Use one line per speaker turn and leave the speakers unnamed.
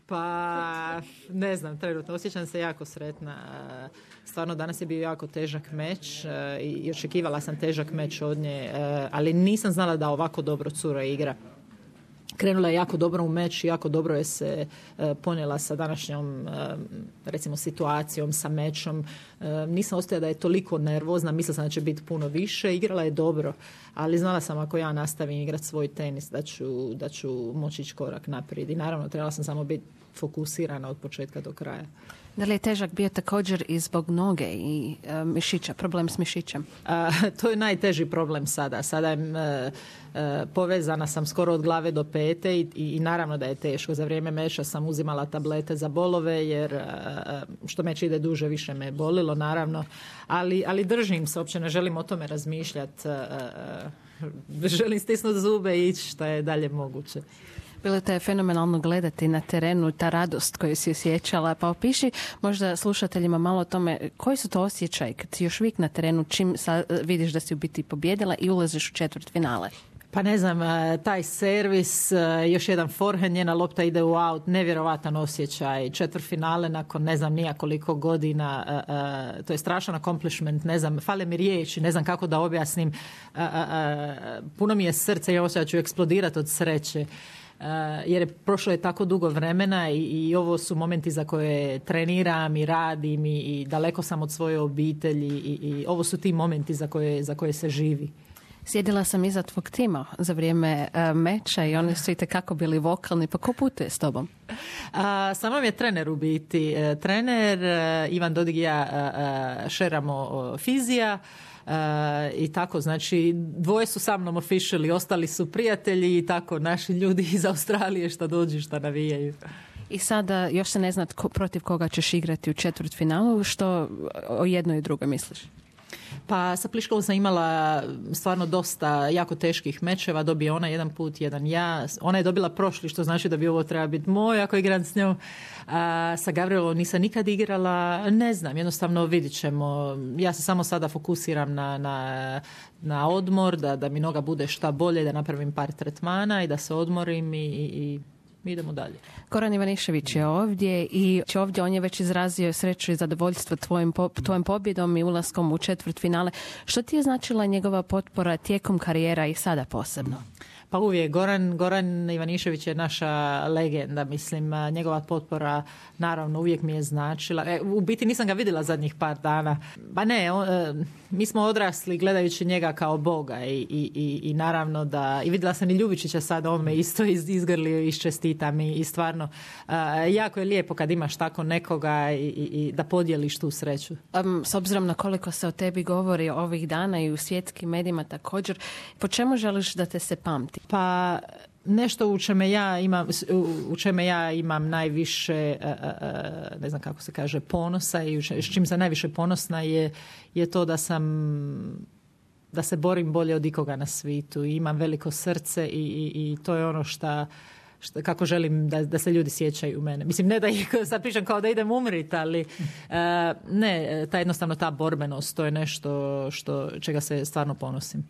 Pa, ne znam, trenutno osjećam se jako sretna. Stvarno, danas je bio jako težak meč i očekivala sam težak meč od nje, ali nisam znala da ovako dobro cura igra. Krenula je jako dobro u meč i jako dobro je se ponijela sa današnjom recimo situacijom, sa mečom. Nisam osjetila da je toliko nervozna, mislila sam da će biti puno više. Igrala je dobro, ali znala sam ako ja nastavim igrati svoj tenis da ću moći ići korak naprijed. I naravno trebala sam samo biti fokusirana od početka do kraja.
Da li je težak bio također i zbog noge i mišića, problem s mišićem?
To je najteži problem sada. Sada je povezana sam skoro od glave do pete i naravno da je teško. Za vrijeme meša sam uzimala tablete za bolove jer što meč ide duže, više me bolilo naravno. Ali držim se, uopće ne želim o tome razmišljati. Želim stisnuti zube i ići što je dalje moguće.
Bilo te je fenomenalno gledati na terenu, ta radost koju si osjećala. Pa opiši možda slušateljima malo o tome koji su to osjećaj kad si još uvijek na terenu, čim vidiš da si u biti pobjedila i ulaziš u četvrtfinale.
Pa ne znam, taj servis, još jedan forehand, njena lopta ide u out, nevjerovatan osjećaj, četvrtfinale nakon ne znam nija koliko godina, to je strašan accomplishment, ne znam, fale mi riječi, ne znam kako da objasnim, puno mi je srce i osjećaj da ću eksplodirati od sreće. Jer je prošlo je tako dugo vremena i ovo su momenti za koje treniram i radim i daleko sam od svoje obitelji i ovo su ti momenti za koje se živi.
Sjedila sam iza tvog tima za vrijeme meča i oni su itekako bili vokalni, pa ko putuje s tobom?
Sa mnom je trener u biti. Trener Ivan Dodig i ja šeramo fizija. I tako, znači dvoje su sa mnom officially, ostali su prijatelji i tako naši ljudi iz Australije šta dođu, šta navijaju.
I sada još se ne zna protiv koga ćeš igrati u četvrtfinalu, što o jednoj i drugoj misliš?
Pa sa Pliškovom sam imala stvarno dosta jako teških mečeva, dobije ona jedan put, jedan ja. Ona je dobila prošli, što znači da bi ovo treba biti moj ako igram s njom. Sa Gavrilovom nisam nikad igrala, ne znam, jednostavno vidit ćemo. Ja se samo sada fokusiram na odmor, da mi noga bude šta bolje, da napravim par tretmana i da se odmorim i idemo dalje.
Goran Ivanišević je ovdje i ovdje on je već izrazio sreću i zadovoljstvo tvojom pobjedom i ulaskom u četvrtfinale. Što ti je značila njegova potpora tijekom karijera i sada posebno?
Pa uvijek. Goran Ivanišević je naša legenda, mislim, njegova potpora naravno uvijek mi je značila. U biti nisam ga vidjela zadnjih par dana. Pa ne, mi smo odrasli gledajući njega kao Boga i naravno da, i vidjela sam i Ljubičića sad, on me isto izgrlio i čestita mi i stvarno jako je lijepo kad imaš tako nekoga i da podijeliš tu sreću.
S obzirom na koliko se o tebi govori ovih dana i u svjetskim medijima također, po čemu želiš da te se pamti?
Pa nešto u čemu ja imam najviše, ne znam kako se kaže, ponosa i s čim sam najviše ponosna je to da se borim bolje od ikoga na svijetu i imam veliko srce i to je ono kako želim da se ljudi sjećaju u mene. Mislim, ne da ih sad pričam kao da idem umrit, ali ne, jednostavno ta borbenost, to je nešto čega se stvarno ponosim.